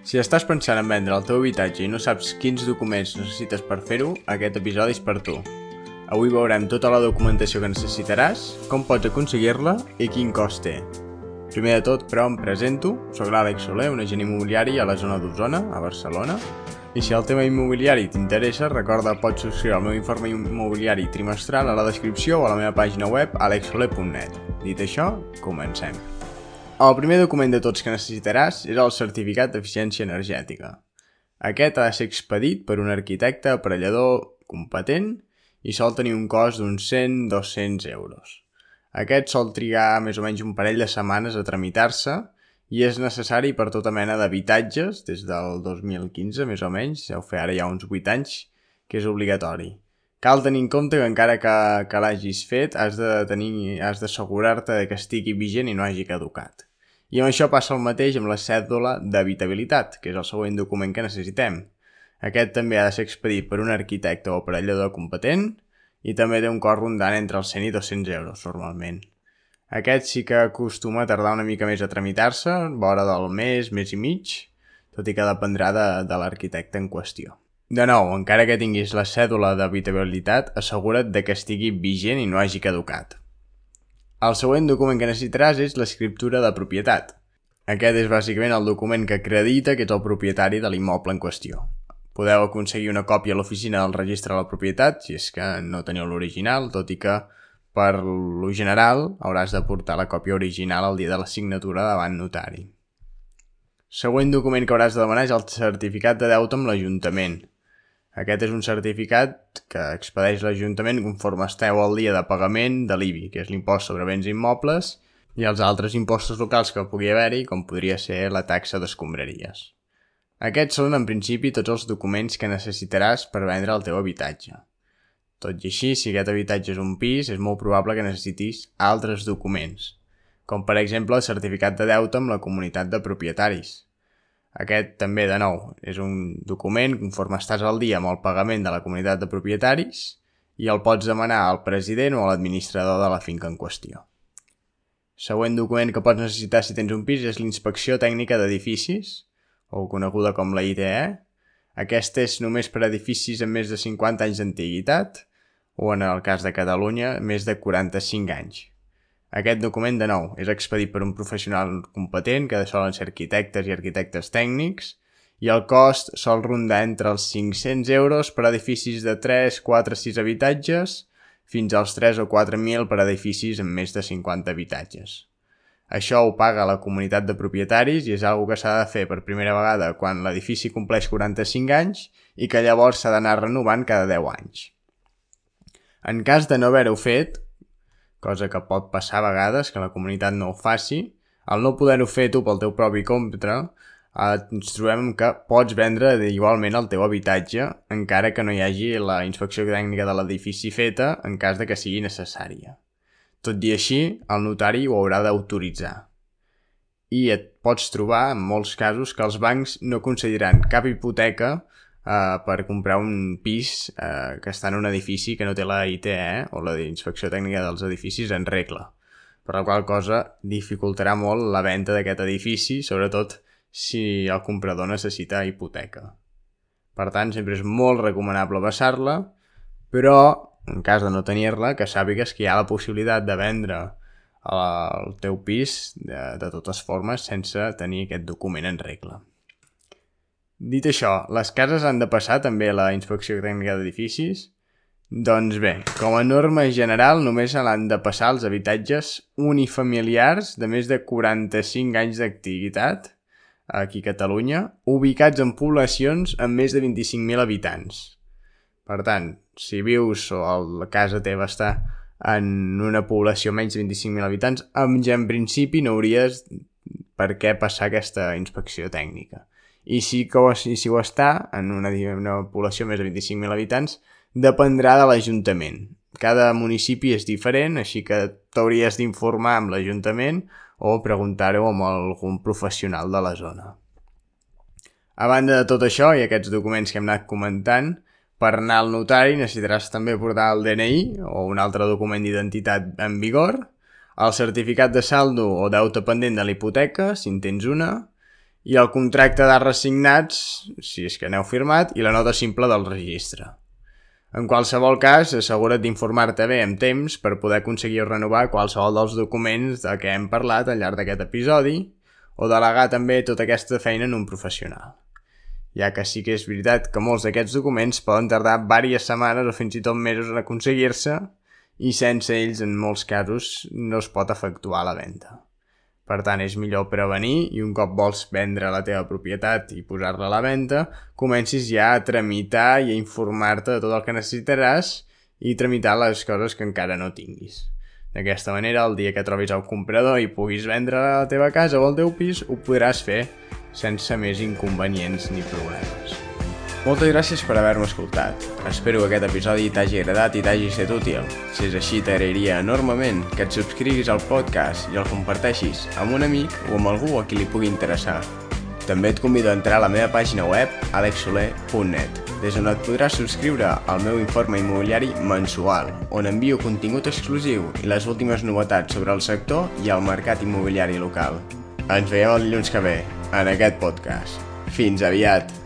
Si estàs pensant en vendre el teu habitatge i no saps quins documents necessites per fer-ho, aquest episodi és per tu. Avui veurem tota la documentació que necessitaràs, com pots aconseguir-la i quin cost té. Primer de tot, però, em presento. Soc l'Àlex Soler, un agent immobiliari a la zona d'Osona, a Barcelona. I si el tema immobiliari t'interessa, recorda, pots subscriure el meu informe immobiliari trimestral a la descripció o a la meva pàgina web alexsoler.net. Dit això, comencem. El primer document de tots que necessitaràs és el certificat d'eficiència energètica. Aquest ha de ser expedit per un arquitecte aparellador competent i sol tenir un cost d'uns 100-200 euros. Aquest sol trigar més o menys un parell de setmanes a tramitar-se i és necessari per tota mena d'habitatges, des del 2015 més o menys, deu fer ara ja uns 8 anys, que és obligatori. Cal tenir en compte que encara que l'hagis fet, has d'assegurar-te que estigui vigent i no hagi caducat. I amb això passa el mateix amb la cèdula d'habitabilitat, que és el següent document que necessitem. Aquest també ha de ser expedit per un arquitecte o aparellador competent i també té un cost rondant entre els 100 i 200 euros normalment. Aquest sí que acostuma a tardar una mica més a tramitar-se, vora del mes i mig, tot i que dependrà de l'arquitecte en qüestió. De nou, encara que tinguis la cèdula d'habitabilitat, assegura't que estigui vigent i no hagi caducat. El següent document que necessitaràs és l'escriptura de propietat. Aquest és bàsicament el document que acredita que ets el propietari de l'immoble en qüestió. Podeu aconseguir una còpia a l'oficina del registre de la propietat, si és que no teniu l'original, tot i que per lo general hauràs de portar la còpia original el dia de la signatura davant notari. Següent document que hauràs de demanar és el certificat de deute amb l'Ajuntament. Aquest és un certificat que expedeix l'Ajuntament conforme esteu al dia de pagament de l'IBI, que és l'impost sobre béns immobles, i els altres impostos locals que pugui haver-hi, com podria ser la taxa d'escombraries. Aquests són, en principi, tots els documents que necessitaràs per vendre el teu habitatge. Tot i així, si aquest habitatge és un pis, és molt probable que necessitis altres documents, com per exemple el certificat de deute amb la comunitat de propietaris. Aquest també, de nou, és un document conforme estàs al dia amb el pagament de la comunitat de propietaris i el pots demanar al president o a l'administrador de la finca en qüestió. Següent document que pots necessitar si tens un pis és l'inspecció tècnica d'edificis, o coneguda com la ITE. Aquesta és només per edificis amb més de 50 anys d'antiguitat o, en el cas de Catalunya, més de 45 anys. Aquest document, de nou, és expedit per un professional competent, que solen ser arquitectes i arquitectes tècnics, i el cost sol rondar entre els 500 euros per edificis de 3, 4, 6 habitatges, fins als 3 o 4.000 per edificis amb més de 50 habitatges. Això ho paga la comunitat de propietaris i és una que s'ha de fer per primera vegada quan l'edifici compleix 45 anys i que llavors s'ha d'anar renovant cada 10 anys. En cas de no haver-ho fet, cosa que pot passar a vegades, que la comunitat no ho faci, al no poder-ho fer tu pel teu propi compte, ens trobem que pots vendre igualment el teu habitatge encara que no hi hagi la inspecció tècnica de l'edifici feta en cas de que sigui necessària. Tot i així, el notari ho haurà d'autoritzar. I et pots trobar, en molts casos, que els bancs no concediran cap hipoteca per comprar un pis que està en un edifici que no té la ITE o la inspecció tècnica dels edificis en regla, per la qual cosa dificultarà molt la venda d'aquest edifici, sobretot si el comprador necessita hipoteca. Per tant, sempre és molt recomanable passar-la, però en cas de no tenir-la, que sàpigues que hi ha la possibilitat de vendre el teu pis de totes formes sense tenir aquest document en regla. Dit això, les cases han de passar també a la inspecció tècnica d'edificis? Doncs bé, com a norma general només l'han de passar els habitatges unifamiliars de més de 45 anys d'activitat aquí a Catalunya, ubicats en poblacions amb més de 25.000 habitants. Per tant, si vius o la casa teva està en una població menys de 25.000 habitants, en principi no hauries per què passar aquesta inspecció tècnica. I si ho està en una població més de 25.000 habitants, dependrà de l'Ajuntament. Cada municipi és diferent, així que t'hauries d'informar amb l'Ajuntament o preguntar-ho amb algun professional de la zona. A banda de tot això i aquests documents que hem anat comentant, per anar al notari necessitaràs també portar el DNI o un altre document d'identitat en vigor, el certificat de saldo o deute pendent de la hipoteca, si en tens una, i el contracte d'arres signats, si és que n'heu firmat, i la nota simple del registre. En qualsevol cas, assegura't d'informar-te bé amb temps per poder aconseguir renovar qualsevol dels documents de què hem parlat al llarg d'aquest episodi o delegar també tota aquesta feina en un professional. Ja que sí que és veritat que molts d'aquests documents poden tardar diverses setmanes o fins i tot mesos en aconseguir-se i sense ells, en molts casos, no es pot efectuar la venda. Per tant, és millor prevenir i un cop vols vendre la teva propietat i posar-la a la venda, comencis ja a tramitar i a informar-te de tot el que necessitaràs i tramitar les coses que encara no tinguis. D'aquesta manera, el dia que trobis el comprador i puguis vendre la teva casa o el teu pis, ho podràs fer sense més inconvenients ni problemes. Moltes gràcies per haver-me escoltat. Espero que aquest episodi t'hagi agradat i t'hagi estat útil. Si és així, t'agrairia enormement que et subscriguis al podcast i el comparteixis amb un amic o amb algú a qui li pugui interessar. També et convido a entrar a la meva pàgina web alexsoler.net, des on et podràs subscriure al meu informe immobiliari mensual, on envio contingut exclusiu i les últimes novetats sobre el sector i el mercat immobiliari local. Ens veiem el dilluns que ve, en aquest podcast. Fins aviat!